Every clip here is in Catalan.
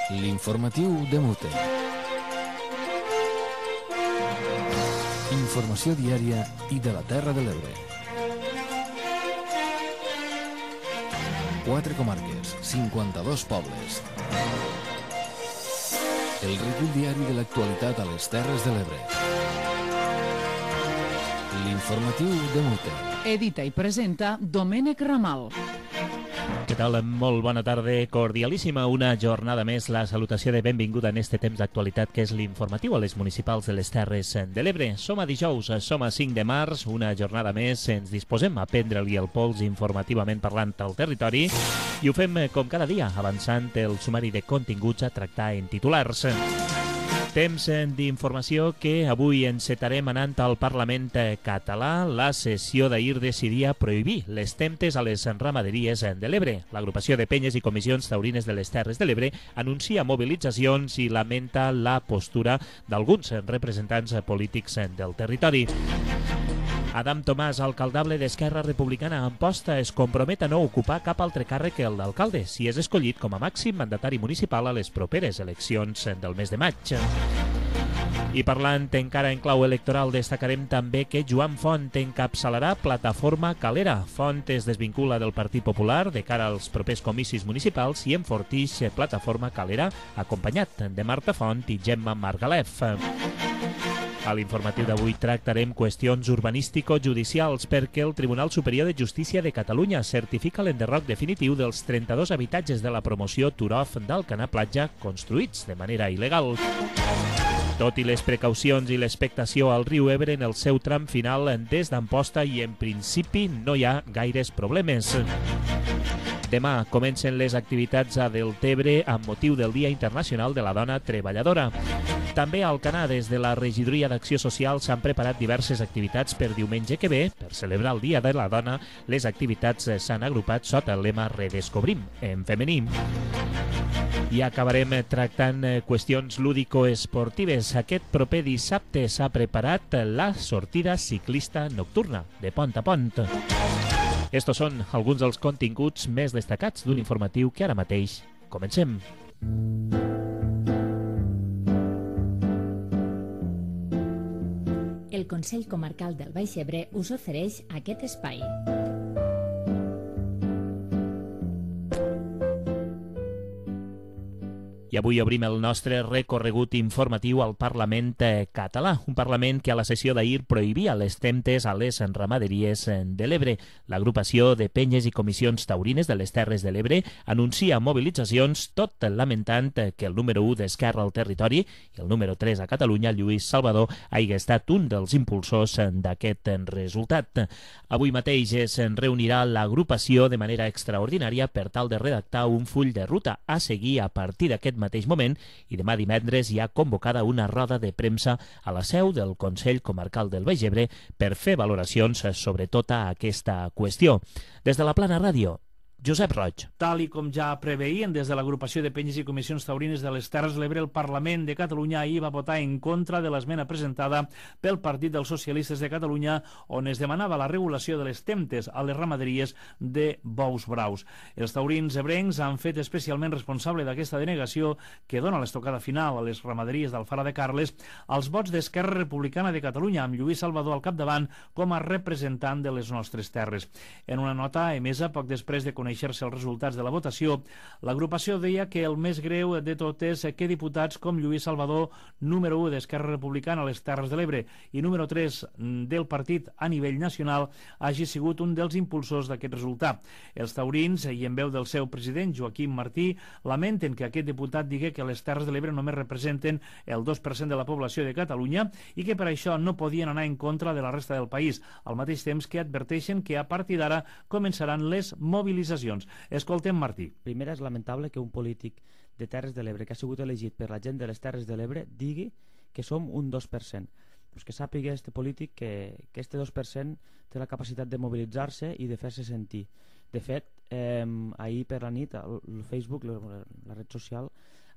L'informatiu de Mute. Informació diària i de la Terra de l'Ebre. 4 comarques, 52 pobles. El recull diari de l'actualitat a les Terres de l'Ebre. L'informatiu de Mute. Edita i presenta Domènec Ramal. Què tal? Molt bona tarda, cordialíssima. Una jornada més, la salutació de benvinguda en este temps d'actualitat que és l'informatiu a les municipals de les Terres de l'Ebre. Som a dijous, som a 5 de març, una jornada més, ens disposem a prendre-li el pols informativament parlant al territori i ho fem com cada dia, avançant el sumari de continguts a tractar en titulars. Temps d'informació que avui encetarem anant al Parlament català. La sessió d'ahir decidia prohibir les temptes a les ramaderies de l'Ebre. L'agrupació de penyes i comissions taurines de les Terres de l'Ebre anuncia mobilitzacions i lamenta la postura d'alguns representants polítics del territori. Adam Tomàs, alcaldable d'Esquerra Republicana Amposta, es compromet a no ocupar cap altre càrrec que el d'alcalde si és escollit com a màxim mandatari municipal a les properes eleccions del mes de maig. I parlant encara en clau electoral, destacarem també que Joan Font encapçalarà Plataforma Calera. Font es desvincula del Partit Popular de cara als propers comicis municipals i enfortix Plataforma Calera, acompanyat de Marta Font i Gemma Margalef. A l'informatiu d'avui tractarem qüestions urbanístico-judicials perquè el Tribunal Superior de Justícia de Catalunya certifica l'enderroc definitiu dels 32 habitatges de la promoció Turof d'Alcanar Platja construïts de manera il·legal. Tot i les precaucions i l'expectació al riu Ebre en el seu tram final des d'Amposta i en principi no hi ha gaires problemes. Demà comencen les activitats a Deltebre amb motiu del Dia Internacional de la Dona Treballadora. També a Alcanar, des de la Regidoria d'Acció Social, s'han preparat diverses activitats per diumenge que ve. Per celebrar el Dia de la Dona, les activitats s'han agrupat sota el lema Redescobrim en femení. I acabarem tractant qüestions lúdico-esportives. Aquest proper dissabte s'ha preparat la sortida ciclista nocturna de Pont a Pont. Estos són alguns dels continguts més destacats d'un informatiu que ara mateix comencem. El Consell Comarcal del Baix Ebre us ofereix aquest espai. I avui obrim el nostre recorregut informatiu al Parlament català, un Parlament que a la sessió d'ahir prohibia les temptes a les ramaderies de l'Ebre. L'agrupació de penyes i comissions taurines de les Terres de l'Ebre anuncia mobilitzacions, tot lamentant que el número 1 d'Esquerra al territori i el número 3 a Catalunya, Lluís Salvador, hagi estat un dels impulsors d'aquest resultat. Avui mateix es reunirà l'agrupació de manera extraordinària per tal de redactar un full de ruta a seguir a partir d'aquest mateix moment i demà divendres hi ha convocada una roda de premsa a la seu del Consell Comarcal del Baix Ebre per fer valoracions sobre tota aquesta qüestió. Des de la Plana Ràdio, Josep Roig. Tal i com ja preveien des de l'agrupació de penyes i comissions taurines de les Terres de l'Ebre, el Parlament de Catalunya ahir va votar en contra de l'esmena presentada pel Partit dels Socialistes de Catalunya on es demanava la regulació de les temptes a les ramaderies de bous braus. Els taurins ebrencs han fet especialment responsable d'aquesta denegació que dona l'estocada final a les ramaderies d'Alfara de Carles als vots d'Esquerra Republicana de Catalunya amb Lluís Salvador al capdavant com a representant de les nostres terres. En una nota emesa poc després de conèixer-se els resultats de la votació, l'agrupació deia que el més greu de tot és que diputats com Lluís Salvador, número 1 d'Esquerra Republicana a les Terres de l'Ebre i número 3 del partit a nivell nacional, hagi sigut un dels impulsors d'aquest resultat. Els taurins, i en veu del seu president, Joaquim Martí, lamenten que aquest diputat digui que les Terres de l'Ebre només representen el 2% de la població de Catalunya i que per això no podien anar en contra de la resta del país, al mateix temps que adverteixen que a partir d'ara començaran les mobilitzacions. Escoltem Martí. Primer, és lamentable que un polític de Terres de l'Ebre que ha sigut elegit per la gent de les Terres de l'Ebre digui que som un 2%. Pues que sàpiga este polític que este 2% té la capacitat de mobilitzar-se i de fer-se sentir. De fet, ahir per la nit el Facebook, la red social,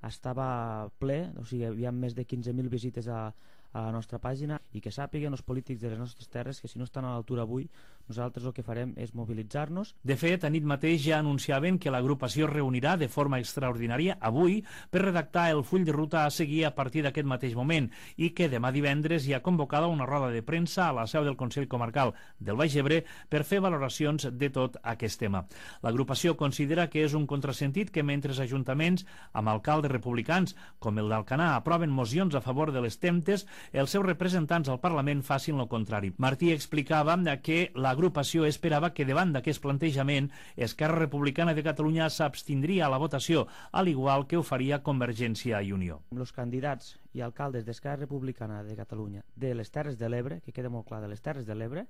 estava ple, o sigui, hi havia més de 15.000 visites a la nostra pàgina i que sàpiguen els polítics de les nostres terres que si no estan a l'altura avui Nosaltres el que farem és mobilitzar-nos. De fet, a nit mateix ja anunciaven que l'agrupació es reunirà de forma extraordinària avui per redactar el full de ruta a seguir a partir d'aquest mateix moment i que demà divendres hi ha convocada una roda de premsa a la seu del Consell Comarcal del Baix Ebre per fer valoracions de tot aquest tema. L'agrupació considera que és un contrasentit que mentre ajuntaments amb alcaldes republicans com el d'Alcanar aproven mocions a favor de les temptes, els seus representants al Parlament facin el contrari. Martí explicava que l'agrupació esperava que davant d'aquest plantejament Esquerra Republicana de Catalunya s'abstindria a la votació, al igual que ho faria Convergència i Unió. Els candidats i alcaldes d'Esquerra Republicana de Catalunya de les Terres de l'Ebre, que queda molt clar, de les Terres de l'Ebre,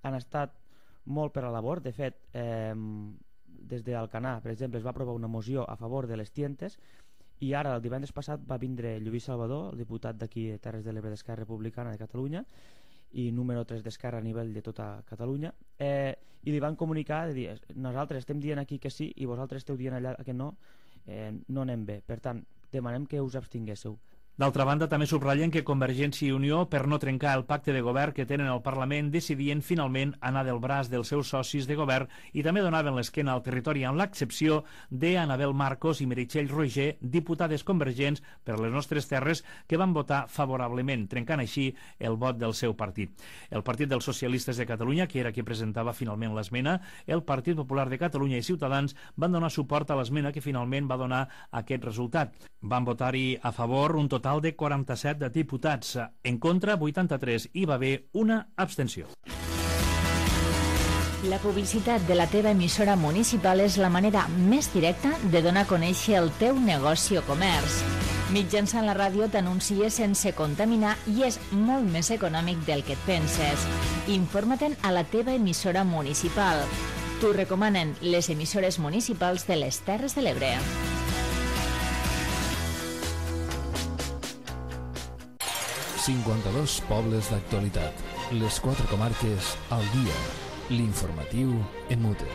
han estat molt per a la labor. De fet, des d'Alcanar, per exemple, es va aprovar una moció a favor de les tientes i ara, el divendres passat, va vindre Lluís Salvador, el diputat d'aquí de Terres de l'Ebre d'Esquerra Republicana de Catalunya i número 3 d'Esquerra a nivell de tota Catalunya, i li van comunicar de dir, nosaltres estem dient aquí que sí i vosaltres esteu dient allà que no, no anem bé. Per tant, demanem que us abstinguéssiu. D'altra banda, també subratllen que Convergència i Unió, per no trencar el pacte de govern que tenen al Parlament, decidien finalment anar del braç dels seus socis de govern i també donaven l'esquena al territori, amb l'excepció d'Anabel Marcos i Meritxell Roger, diputades convergents per les nostres terres, que van votar favorablement, trencant així el vot del seu partit. El Partit dels Socialistes de Catalunya, que era qui presentava finalment l'esmena, el Partit Popular de Catalunya i Ciutadans van donar suport a l'esmena que finalment va donar aquest resultat. Van votar-hi a favor un total de 47 diputats. En contra, 83. Hi va haver una abstenció. La publicitat de la teva emissora municipal és la manera més directa de donar a conèixer el teu negoci o comerç. Mitjançant la ràdio t'anuncies sense contaminar i és molt més econòmic del que et penses. Informa-te'n a la teva emissora municipal. T'ho recomanen les emissores municipals de les Terres de l'Ebre. 52 pobles d'actualitat. Les 4 comarques al dia. L'informatiu EMUTE.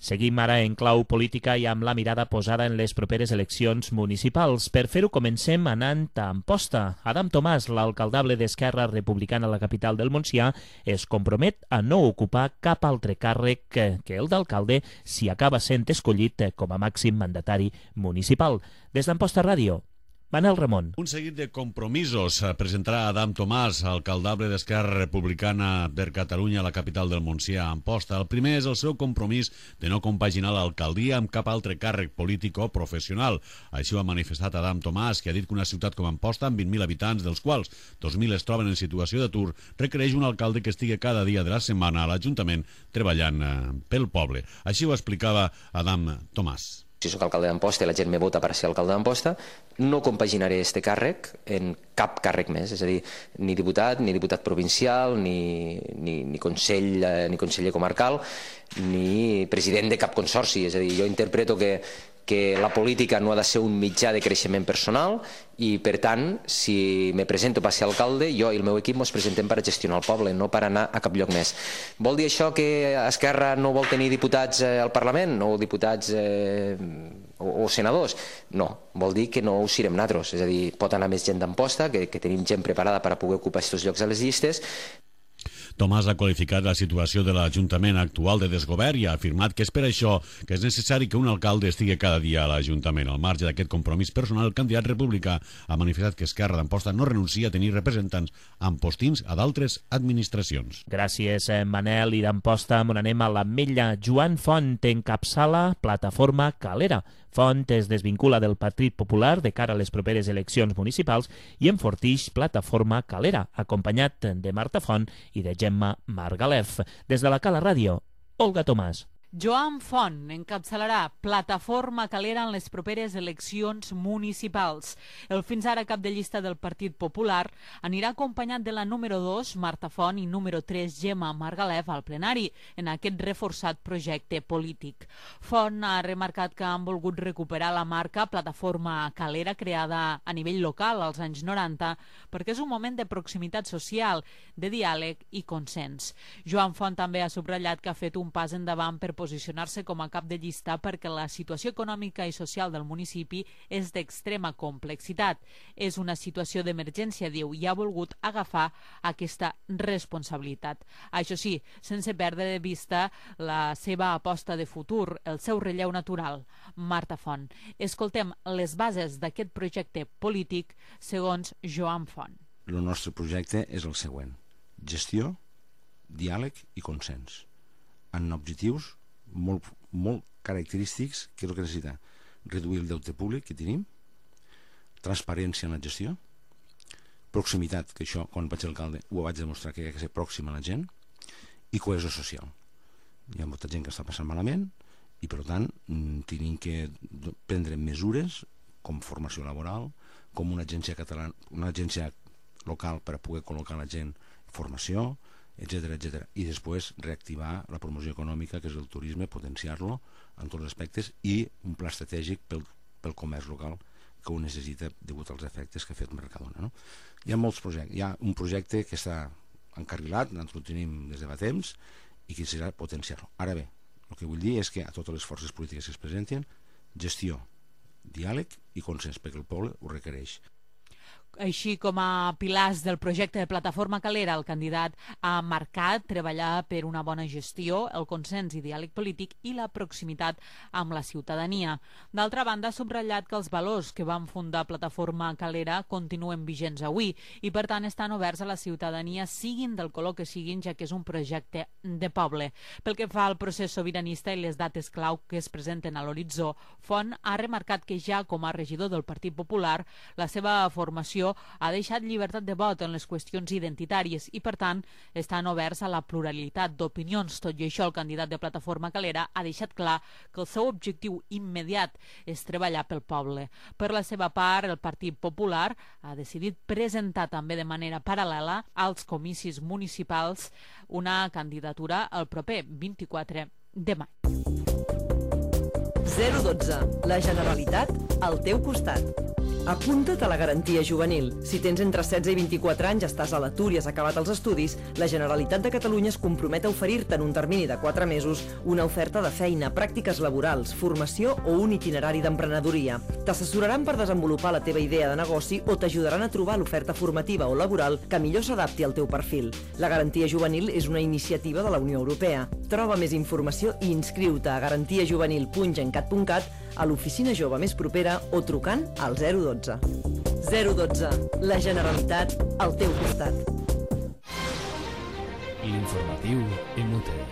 Seguim ara en clau política i amb la mirada posada en les properes eleccions municipals. Per fer-ho comencem anant a Amposta. Adam Tomàs, l'alcaldable d'Esquerra Republicana a la capital del Montsià, es compromet a no ocupar cap altre càrrec que el d'alcalde si acaba sent escollit com a màxim mandatari municipal. Des d'Amposta Ràdio, Manel Ramon. Un seguit de compromisos presentarà Adam Tomàs, alcaldable d'Esquerra Republicana per Catalunya a la capital del Montsià, Amposta. El primer és el seu compromís de no compaginar l'alcaldia amb cap altre càrrec polític o professional. Així ho ha manifestat Adam Tomàs, que ha dit que una ciutat com Amposta, amb 20.000 habitants, dels quals 2.000 es troben en situació d'atur, requereix un alcalde que estigui cada dia de la setmana a l'Ajuntament treballant pel poble. Així ho explicava Adam Tomàs. Si soc alcalde d'Amposta i la gent me vota per ser alcalde d'Amposta, no compaginaré este càrrec en cap càrrec més, és a dir, ni diputat provincial, ni conseller comarcal, ni president de cap consorci. És a dir, jo interpreto que la política no ha de ser un mitjà de creixement personal i, per tant, si me presento per ser alcalde, jo i el meu equip ens presentem per a gestionar el poble, no per anar a cap lloc més. Vol dir això que Esquerra no vol tenir diputats al Parlament o diputats o senadors? No, vol dir que no ho serem nosaltres. És a dir, pot anar més gent d'Amposta, que tenim gent preparada per a poder ocupar aquests llocs a les llistes. Tomàs ha qualificat la situació de l'Ajuntament actual de desgovern i ha afirmat que és per això que és necessari que un alcalde estigui cada dia a l'Ajuntament. Al marge d'aquest compromís personal, el candidat republicà ha manifestat que Esquerra d'Amposta no renuncia a tenir representants ampostins a d'altres administracions. Gràcies, Manel. I d'Amposta on anem a l'Ametlla. Joan Font encapçala Plataforma Calera. Font es desvincula del Partit Popular de cara a les properes eleccions municipals i enfortix Plataforma Calera, acompanyat de Marta Font i de Gemma Margalef. Des de la Cala Ràdio, Olga Tomàs. Joan Font encapçalarà Plataforma Calera en les properes eleccions municipals. El fins ara cap de llista del Partit Popular anirà acompanyat de la número 2, Marta Font, i número 3, Gemma Margalef, al plenari, en aquest reforçat projecte polític. Font ha remarcat que han volgut recuperar la marca Plataforma Calera, creada a nivell local als anys 90, perquè és un moment de proximitat social, de diàleg i consens. Joan Font també ha subratllat que ha fet un pas endavant per posicionar-se com a cap de llista perquè la situació econòmica i social del municipi és d'extrema complexitat. És una situació d'emergència, diu, i ha volgut agafar aquesta responsabilitat. Això sí, sense perdre de vista la seva aposta de futur, el seu relleu natural. Marta Font. Escoltem les bases d'aquest projecte polític segons Joan Font. El nostre projecte és el següent: gestió, diàleg i consens, amb objectius molt característics. Que és el que necessita? Reduir el deute públic que tenim, transparència en la gestió, proximitat, que això quan vaig ser alcalde ho vaig demostrar que hi ha que ser pròxim a la gent, i cohesió social. Hi ha molta gent que està passant malament i per tant tenim que prendre mesures com formació laboral, com una agència catalana, una agència local per a poder col·locar la gent, formació, etc. I després reactivar la promoció econòmica, que és el turisme, potenciar-lo en tots els aspectes, i un pla estratègic pel comerç local que ho necessita degut als efectes que ha fet Mercadona, no? Hi ha molts projectes. Hi ha un projecte que està encarrilat, nosaltres ho tenim des de fa temps, i que serà potenciar-lo. Ara bé, el que vull dir és que a totes les forces polítiques que es presenten, gestió, diàleg i consens, perquè el poble ho requereix. Així com a pilars del projecte de Plataforma Calera, el candidat ha marcat treballar per una bona gestió, el consens i diàleg polític i la proximitat amb la ciutadania. D'altra banda, ha subratllat que els valors que van fundar Plataforma Calera continuen vigents avui i, per tant, estan oberts a la ciutadania, siguin del color que siguin, ja que és un projecte de poble. Pel que fa al procés sobiranista i les dates clau que es presenten a l'horitzó, Font ha remarcat que ja com a regidor del Partit Popular, la seva formació ha deixat llibertat de vot en les qüestions identitàries i, per tant, estan oberts a la pluralitat d'opinions. Tot i això, el candidat de Plataforma Calera ha deixat clar que el seu objectiu immediat és treballar pel poble. Per la seva part, el Partit Popular ha decidit presentar també de manera paral·lela als comicis municipals una candidatura el proper 24 de maig. 012. La Generalitat al teu costat. Apunta't a la garantia juvenil. Si tens entre 16 i 24 anys, estàs a l'atur i has acabat els estudis, la Generalitat de Catalunya es compromet a oferir-te en un termini de 4 mesos una oferta de feina, pràctiques laborals, formació o un itinerari d'emprenedoria. T'assessoraran per desenvolupar la teva idea de negoci o t'ajudaran a trobar l'oferta formativa o laboral que millor s'adapti al teu perfil. La garantia juvenil és una iniciativa de la Unió Europea. Troba més informació i inscriu-te a garantiajuvenil.gencat.cat, a l'oficina jove més propera o trucant al 012. 012. La Generalitat al teu costat. L'informatiu inútil.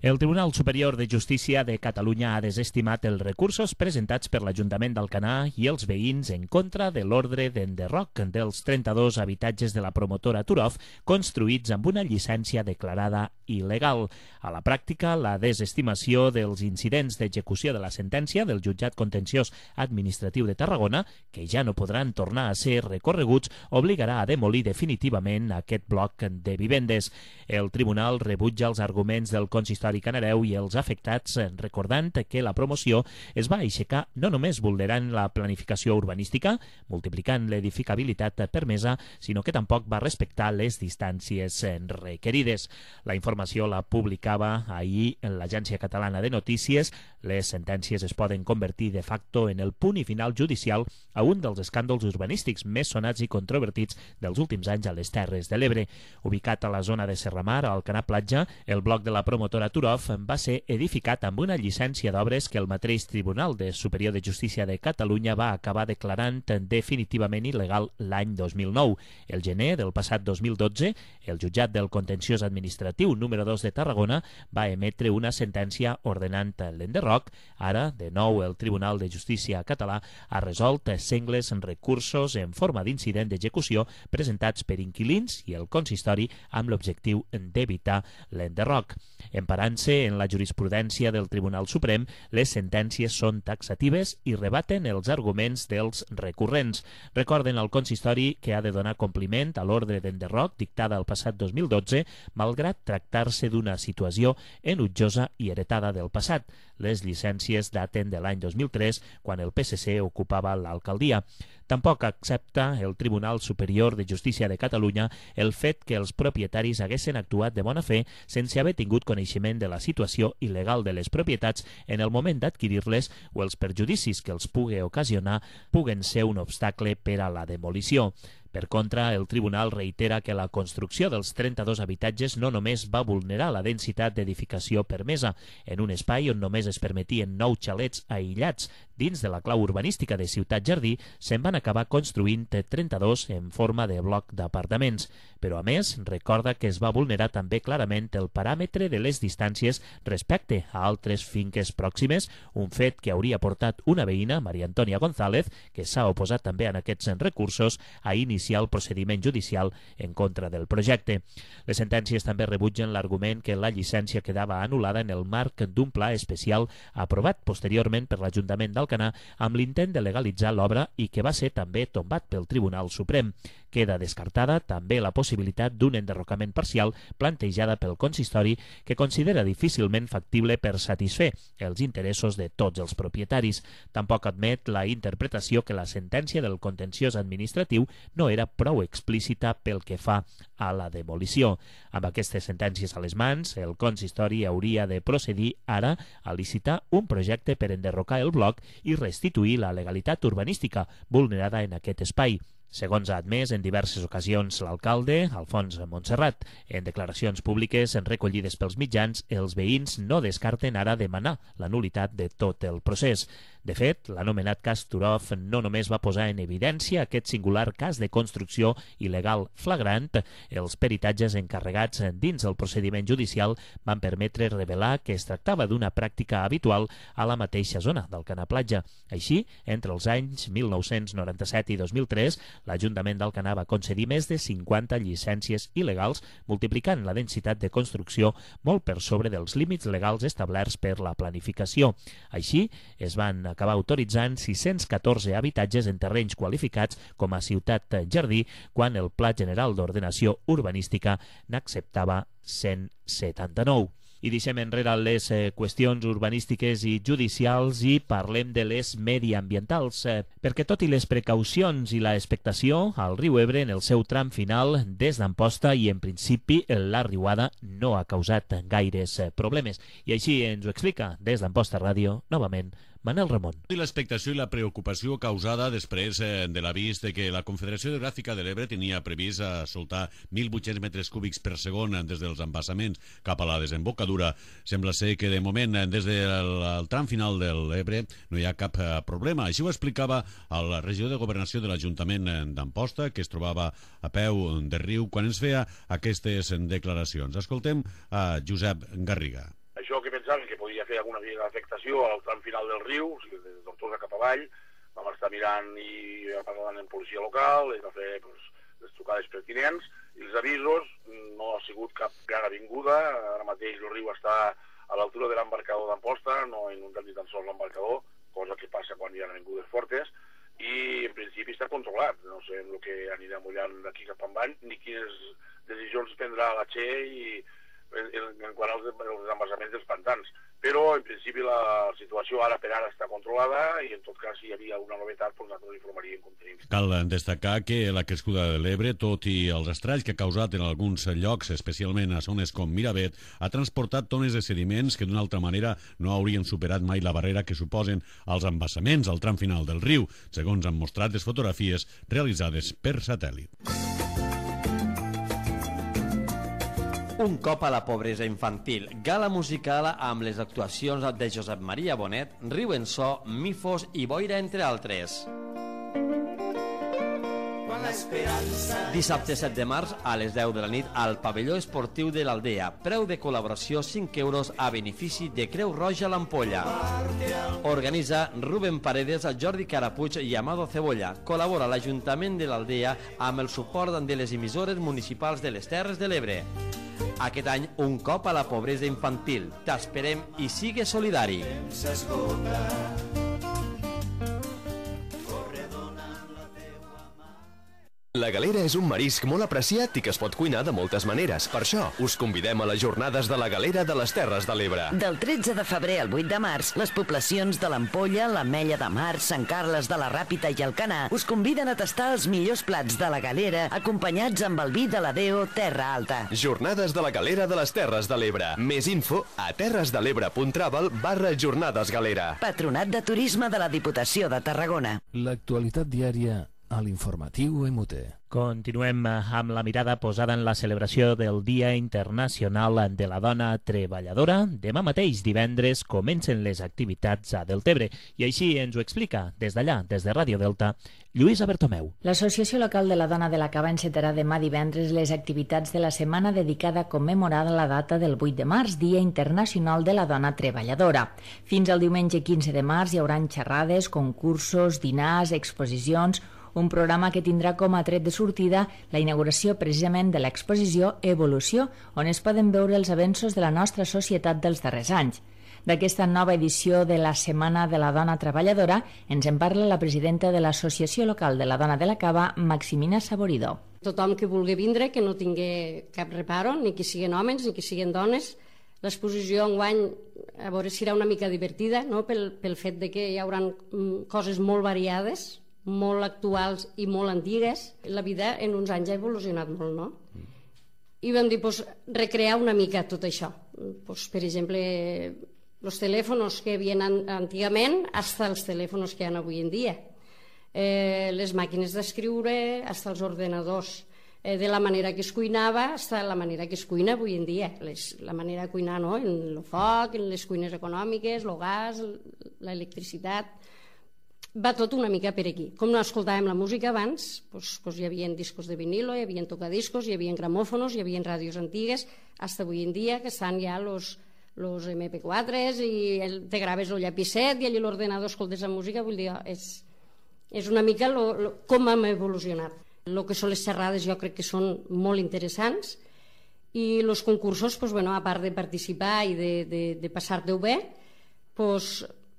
El Tribunal Superior de Justícia de Catalunya ha desestimat els recursos presentats per l'Ajuntament d'Alcanar i els veïns en contra de l'ordre d'enderroc dels 32 habitatges de la promotora Turov construïts amb una llicència declarada il·legal. A la pràctica, la desestimació dels incidents d'execució de la sentència del Jutjat Contenciós Administratiu de Tarragona, que ja no podran tornar a ser recorreguts, obligarà a demolir definitivament aquest bloc de vivendes. El Tribunal rebutja els arguments del consistori Canareu i els afectats, recordant que la promoció es va aixecar no només vulnerant la planificació urbanística, multiplicant l'edificabilitat permesa, sinó que tampoc va respectar les distàncies requerides. La informació la publicava ahir en l'Agència Catalana de Notícies. Les sentències es poden convertir de facto en el punt i final judicial a un dels escàndols urbanístics més sonats i controvertits dels últims anys a les Terres de l'Ebre. Ubicat a la zona de Serramar, al Canà Platja, el bloc de la promotora Turov va ser edificat amb una llicència d'obres que el mateix Tribunal Superior de Justícia de Catalunya va acabar declarant definitivament il·legal l'any 2009. El gener del passat 2012, el Jutjat del Contenciós Administratiu número 2 de Tarragona va emetre una sentència ordenant l'enderroc. Ara, de nou, el Tribunal de Justícia català ha resolt sengles recursos en forma d'incident d'execució presentats per inquilins i el consistori amb l'objectiu d'evitar l'enderroc. Emparant-se en la jurisprudència del Tribunal Suprem, les sentències són taxatives i rebaten els arguments dels recurrents. Recorden al consistori que ha de donar compliment a l'ordre d'enderroc dictada el passat 2012, malgrat tractar tractar-se d'una situació enutjosa i heretada del passat. Les llicències daten de l'any 2003, quan el PSC ocupava l'alcaldia. Tampoc accepta el Tribunal Superior de Justícia de Catalunya el fet que els propietaris haguessin actuat de bona fe sense haver tingut coneixement de la situació il·legal de les propietats en el moment d'adquirir-les o els perjudicis que els pugui ocasionar puguen ser un obstacle per a la demolició. Per contra, el tribunal reitera que la construcció dels 32 habitatges no només va vulnerar la densitat d'edificació permesa. En un espai on només es permetien 9 xalets aïllats dins de la clau urbanística de Ciutat Jardí, se'n van acabar construint 32 en forma de bloc d'apartaments. Però, a més, recorda que es va vulnerar també clarament el paràmetre de les distàncies respecte a altres finques pròximes, un fet que hauria portat una veïna, Maria Antònia González, que s'ha oposat també en aquests recursos, a iniciar el procediment judicial en contra del projecte. Les sentències també rebutgen l'argument que la llicència quedava anul·lada en el marc d'un pla especial aprovat posteriorment per l'Ajuntament d'Alcanar amb l'intent de legalitzar l'obra i que va ser també tombat pel Tribunal Suprem. Queda descartada també la possibilitat d'un enderrocament parcial plantejada pel consistori que considera difícilment factible per satisfer els interessos de tots els propietaris. Tampoc admet la interpretació que la sentència del contenciós administratiu no era prou explícita pel que fa a la demolició. Amb aquestes sentències a les mans, el consistori hauria de procedir ara a licitar un projecte per enderrocar el bloc i restituir la legalitat urbanística vulnerada en aquest espai. Segons ha admès en diverses ocasions l'alcalde, Alfons Montserrat. En declaracions públiques recollides pels mitjans, els veïns no descarten ara demanar la nul·litat de tot el procés. De fet, l'anomenat cas Turov no només va posar en evidència aquest singular cas de construcció il·legal flagrant, els peritatges encarregats dins el procediment judicial van permetre revelar que es tractava d'una pràctica habitual a la mateixa zona d'Alcanar Platja. Així, entre els anys 1997 i 2003, l'Ajuntament d'Alcanar va concedir més de 50 llicències il·legals, multiplicant la densitat de construcció molt per sobre dels límits legals establerts per la planificació. Així, es van acabar autoritzant 614 habitatges en terrenys qualificats com a Ciutat Jardí, quan el Pla General d'Ordenació Urbanística n'acceptava 179. I deixem enrere les qüestions urbanístiques i judicials i parlem de les mediambientals, perquè tot i les precaucions i la expectació, el riu Ebre en el seu tram final des d'Amposta i en principi la riuada no ha causat gaires problemes. I així ens ho explica des d'Amposta Ràdio, novament, Manel Ramon. I l'expectació i la preocupació causada després de l'avís de que la Confederació Hidrogràfica de l'Ebre tenia previst soltar 1.800 metres cúbics per segon des dels embassaments cap a la desembocadura. Sembla ser que de moment des del tram final de l'Ebre no hi ha cap problema. Així ho explicava el regidor de Governació de l'Ajuntament d'Amposta, que es trobava a peu de riu quan ens feia aquestes declaracions. Escoltem a Josep Garriga. Això que pensàvem que podia fer alguna afectació al tram final del riu, o sigui, de Tortosa cap avall, vam estar mirant i parlant amb policia local, i va fer les trucades pertinents, i els avisos no ha sigut cap gran avinguda. Ara mateix el riu està a l'altura de l'embarcador d'Amposta, no ha inundat ni tan sols l'embarcador, cosa que passa quan hi ha avingudes fortes, i en principi està controlat. No sé el que anirà mullant d'aquí cap avall, ni quines decisions prendrà la Che i en quant als embassaments dels pantans. Però, en principi, la situació ara per ara està controlada i, en tot cas, si hi havia alguna novetat, nosaltres informaríem com tenim. Cal destacar que la crescuda de l'Ebre, tot i els estralls que ha causat en alguns llocs, especialment a zones com Miravet, ha transportat tones de sediments que d'una altra manera no haurien superat mai la barrera que suposen els embassaments al tram final del riu, segons han mostrat les fotografies realitzades per satèl·lit. Un cop a la pobresa infantil, gala musical amb les actuacions de Josep Maria Bonet, Riu en So, Mifos i Boira, entre altres. Dissabte 7 de març a les 10 de la nit al pavelló esportiu de l'Aldea. Preu de col·laboració 5 euros a benefici de Creu Roja l'Ampolla. Organitza Rubén Paredes, Jordi Carapuig i Amado Cebolla. Col·labora l'Ajuntament de l'Aldea amb el suport de les emissores municipals de les Terres de l'Ebre. Aquest any, un cop a la pobresa infantil. T'esperem i sigue solidari. La galera és un marisc molt apreciat i que es pot cuinar de moltes maneres. Per això, us convidem a les jornades de la galera de les Terres de l'Ebre. Del 13 de febrer al 8 de març, les poblacions de l'Ampolla, l'Ametlla de Mar, Sant Carles de la Ràpita i Alcanar us conviden a tastar els millors plats de la galera acompanyats amb el vi de la Deo Terra Alta. Jornades de la galera de les Terres de l'Ebre. Més info a terresdelebre.travel/jornadesgalera. Patronat de Turisme de la Diputació de Tarragona. L'actualitat diària a l'informatiu MUT. Continuem amb la mirada posada en la celebració del Dia Internacional de la Dona Treballadora. Demà mateix, divendres, comencen les activitats a Deltebre i així ens ho explica des d'allà, des de Ràdio Delta, Lluïsa Bertomeu. L'Associació Local de la Dona de la Cava encetarà demà divendres les activitats de la setmana dedicada a commemorar la data del 8 de març, Dia Internacional de la Dona Treballadora. Fins al diumenge 15 de març hi haurà xerrades, concursos, dinars, exposicions, un programa que tindrà com a tret de sortida la inauguració precisament de l'exposició Evolució, on es poden veure els avenços de la nostra societat dels darrers anys. D'aquesta nova edició de la Setmana de la Dona Treballadora ens en parla la presidenta de l'Associació Local de la Dona de la Cava, Maximina Saboridó. Tothom que vulgui vindre, que no tingui cap reparo, ni que siguin homes ni que siguin dones. L'exposició enguany, a veure si serà una mica divertida, no? pel fet de que hi haurà coses molt variades, molt actuals i molt antigues. La vida en uns anys ha evolucionat molt, no? I vam dir, recrear una mica tot això. Per exemple, els telèfons que hi havia antigament fins als telèfons que hi ha avui en dia. Les màquines d'escriure, fins als ordenadors. De la manera que es cuinava fins a la manera que es cuina avui en dia. La manera de cuinar, no? En el foc, en les cuines econòmiques, el gas, l'electricitat. Va tot una mica per aquí. Com no escoltàvem la música abans, hi havia discos de vinilo, hi havia tocadiscos, hi havia gramòfonos, hi havia ràdios antigues, fins avui en dia que estan ja los MP4s i te graves el llapicet i allà l'ordenador escoltes la música. Vull dir, és una mica com hem evolucionat. El que són les xerrades jo crec que són molt interessants i els concursos, a part de participar i de passar-te-ho bé,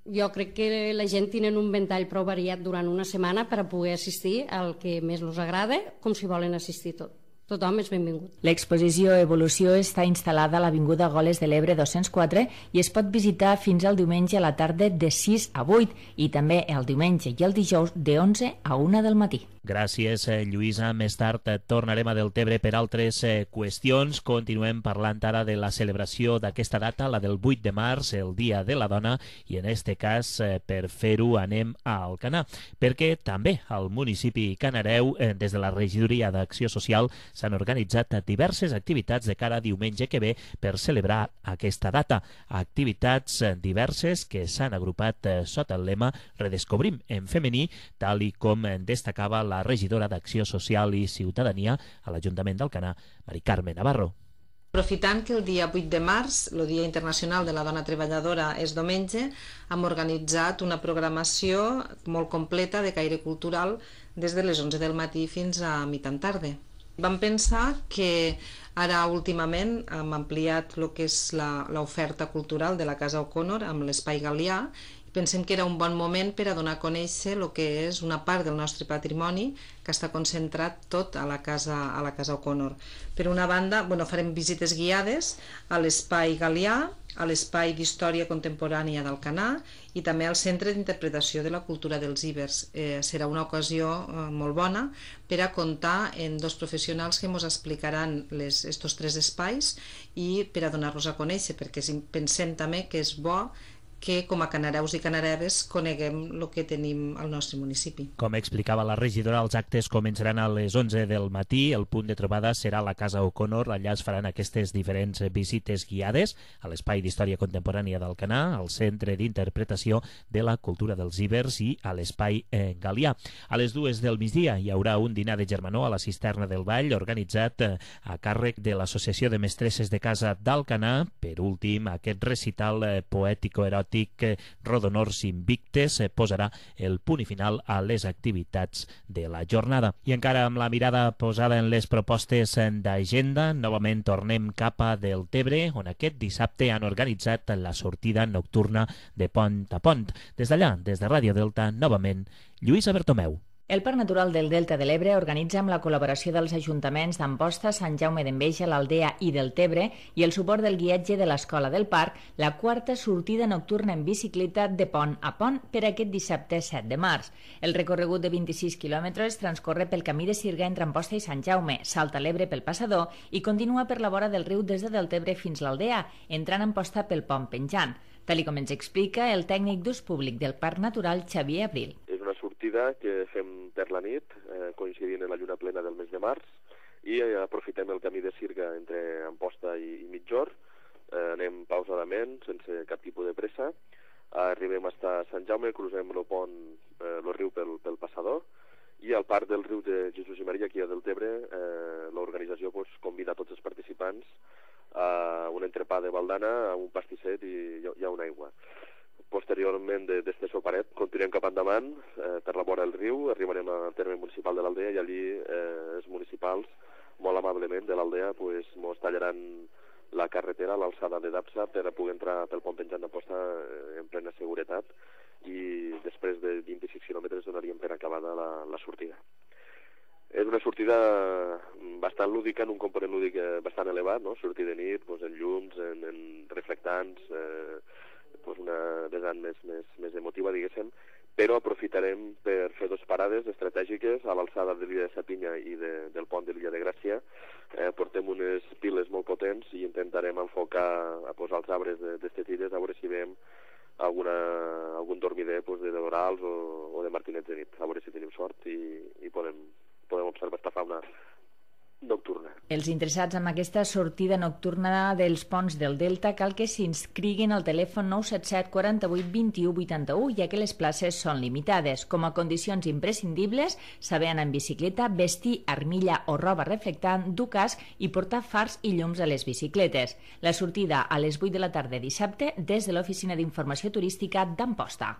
jo crec que la gent tenen un ventall prou variat durant una setmana per a poder assistir al que més els agrada, com si volen assistir tothom és benvingut. L'exposició Evolució està instal·lada a l'Avinguda Goles de l'Ebre 204 i es pot visitar fins al diumenge a la tarda de 6 a 8 i també el diumenge i el dijous de 11 a 1 del matí. Gràcies, Lluïsa. Més tard tornarem a Deltebre per altres qüestions. Continuem parlant ara de la celebració d'aquesta data, la del 8 de març, el Dia de la Dona, i en este cas, per fer-ho, anem a Alcanar, perquè també al municipi canareu, des de la Regidoria d'Acció Social, s'han organitzat diverses activitats de cara a diumenge que ve per celebrar aquesta data. Activitats diverses que s'han agrupat sota el lema Redescobrim en femení, tal i com destacava la regidora d'Acció Social i Ciutadania a l'Ajuntament d'Alcanar, Mari Carme Navarro. Aprofitant que el dia 8 de març, el Dia Internacional de la Dona Treballadora, és diumenge, hem organitzat una programació molt completa de caire cultural des de les 11 del matí fins a mitjan tarda. Vam pensar que ara últimament hem ampliat el que és l'oferta cultural de la Casa O'Connor amb l'Espai Galià. Pensem que era un bon moment per a donar a conèixer el que és una part del nostre patrimoni que està concentrat tot a la Casa O'Connor. Per una banda, farem visites guiades a l'Espai Galià, a l'Espai d'Història Contemporània d'Alcanar i també al Centre d'Interpretació de la Cultura dels Ibers. Serà una ocasió molt bona per a comptar amb dos professionals que ens explicaran estos tres espais i per a donar-los a conèixer, perquè pensem també que és bo que com a canareus i canareves coneguem el que tenim al nostre municipi. Com explicava la regidora, els actes començaran a les 11 del matí, el punt de trobada serà la Casa O'Connor, allà es faran aquestes diferents visites guiades a l'Espai d'Història Contemporània d'Alcanar, al Centre d'Interpretació de la Cultura dels Ibers i a l'Espai Galià. A les 2 del migdia hi haurà un dinar de germanor a la Cisterna del Vall, organitzat a càrrec de l'Associació de Mestresses de Casa d'Alcanar. Per últim, aquest recital poètico-eròtic Rodonors Invictes posarà el punt i final a les activitats de la jornada. I encara amb la mirada posada en les propostes d'agenda, novament tornem cap a Deltebre, on aquest dissabte han organitzat la sortida nocturna de Pont a Pont. Des d'allà, des de Ràdio Delta, novament, Lluïsa Bertomeu. El Parc Natural del Delta de l'Ebre organitza amb la col·laboració dels ajuntaments d'Amposta, Sant Jaume d'Enveja, l'Aldea i del Tebre i el suport del guiatge de l'Escola del Parc, la quarta sortida nocturna en bicicleta de pont a pont per aquest dissabte 7 de març. El recorregut de 26 quilòmetres transcorre pel camí de Sirga entre Amposta i Sant Jaume, salta l'Ebre pel passador i continua per la vora del riu des de Deltebre fins l'Aldea, entrant a Amposta pel pont penjant. Tal com ens explica el tècnic d'ús públic del Parc Natural, Xavier Abril. És una sortida que fem per la nit, coincidint en la lluna plena del mes de març, i aprofitem el camí de Sirga entre Amposta i Mitjor, anem pausadament, sense cap tipus de pressa, arribem fins a Sant Jaume, cruzem el pont, el riu pel passador, i al parc del riu de Jesús i Maria, aquí a Deltebre, l'organització convida tots els participants a un entrepà de baldana, a un pastisset i a una aigua. Posteriorment d'este soparet continuem cap endavant per la vora del riu, arribarem al terme municipal de l'Aldea i allí els municipals, molt amablement de l'Aldea, ens tallaran la carretera a l'alçada de Dapsa per poder entrar pel pont penjant d'Amposta en plena seguretat i després de 26 quilòmetres donaríem per acabada la sortida. És una sortida bastant lúdica, en un component lúdic bastant elevat, no? Sortir de nit, en llums, en reflectants, una vessant més emotiva, diguéssim, però aprofitarem per fer dues parades estratègiques a l'alçada de l'illa de Sapinya i del pont de l'illa de Gràcia. Portem unes piles molt potents i intentarem enfocar a posar els arbres d'estes illes a veure si veiem algun dormider de dorals o de martinets de nit, a veure si tenim sort i podem observar esta fauna nocturna. Els interessats en aquesta sortida nocturna dels ponts del Delta cal que s'inscriguin al telèfon 977 48 21 81, ja que les places són limitades. Com a condicions imprescindibles, saber anar en bicicleta, vestir armilla o roba reflectant, dur casc i portar fars i llums a les bicicletes. La sortida a les 8 de la tarda dissabte des de l'Oficina d'Informació Turística d'Amposta.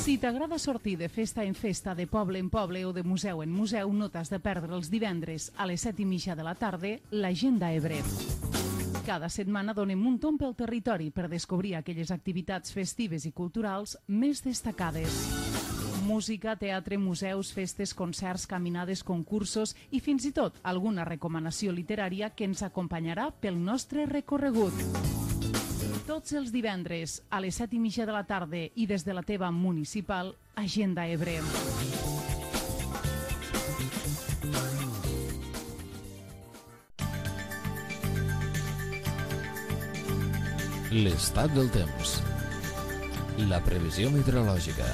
Si t'agrada sortir de festa en festa, de poble en poble o de museu en museu, no t'has de perdre els divendres a les 7:30 de la tarda l'Agenda Ebre. Cada setmana donem un tomb pel territori per descobrir aquelles activitats festives i culturals més destacades. Música, teatre, museus, festes, concerts, caminades, concursos i fins i tot alguna recomanació literària que ens acompanyarà pel nostre recorregut. Tots els divendres a les 7:30 de la tarda i des de la teva municipal, Agenda Ebre. L'estat del temps. La previsió meteorològica.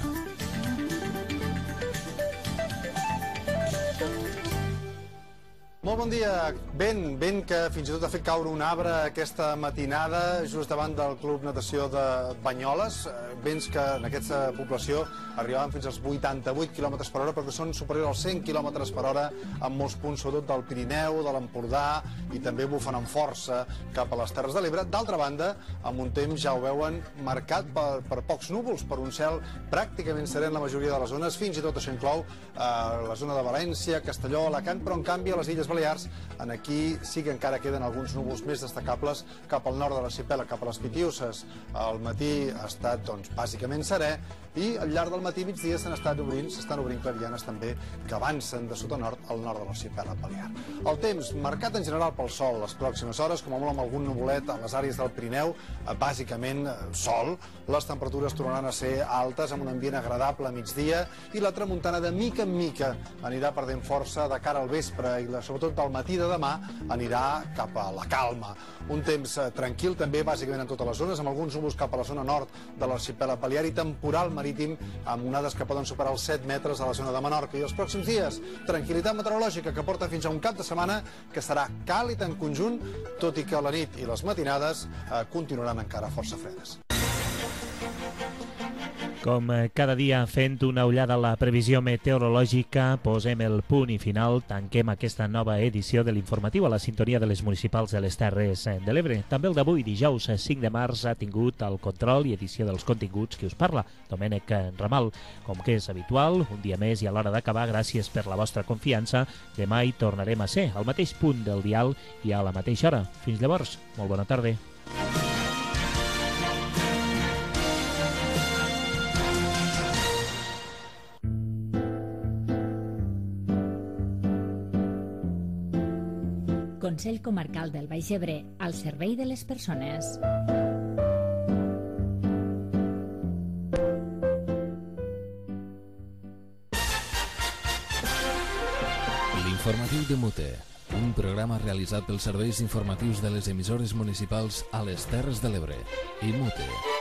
Molt bon dia. Vent que fins i tot ha fet caure un arbre aquesta matinada just davant del Club Natació de Banyoles. Vents que en aquesta població arribaven fins als 88 km per hora, però que són superiors als 100 km per hora en molts punts, sobretot del Pirineu, de l'Empordà, i també bufen amb força cap a les Terres de l'Ebre. D'altra banda, amb un temps, ja ho veuen, marcat per pocs núvols, per un cel pràcticament serè en la majoria de les zones, fins i tot això inclou la zona de València, Castelló, Alacant, però en canvi a les Illes Balears, aquí sí que encara queden alguns núvols més destacables cap al nord de l'arxipèlag, cap a les Pitiüses. Al matí ha estat, bàsicament serè, i al llarg del matí i migdia s'estan obrint clarianes també que avancen de sud a nord al nord de l'arxipèlag balear. El temps marcat en general pel sol les pròximes hores, com a molt amb algun nuvolet a les àrees del Pirineu, bàsicament sol. Les temperatures tornaran a ser altes amb un ambient agradable a migdia i la tramuntana de mica en mica anirà perdent força de cara al vespre i sobretot del matí de demà anirà cap a la calma. Un temps tranquil també bàsicament en totes les zones, amb alguns núvols cap a la zona nord de l'arxipèlag balear i temporal marítim amb onades que poden superar els 7 metres a la zona de Menorca. I els pròxims dies, tranquil·litat meteorològica que porta fins a un cap de setmana que serà càlid en conjunt, tot i que la nit i les matinades continuaran encara força fredes. Com cada dia fent una ullada a la previsió meteorològica, posem el punt i final, tanquem aquesta nova edició de l'informatiu a la sintonia de les municipals de les Terres de l'Ebre. També el d'avui, dijous 5 de març, ha tingut el control i edició dels continguts qui us parla, Domènec Ramal. Com que és habitual, un dia més i a l'hora d'acabar, gràcies per la vostra confiança. Demà hi tornarem a ser, al mateix punt del dial i a la mateixa hora. Fins llavors, molt bona tarda. Consell Comarcal del Baix Ebre, al servei de les persones. L'informatiu de Mute, un programa realitzat pels serveis informatius de les emissores municipals a les Terres de l'Ebre i Mute.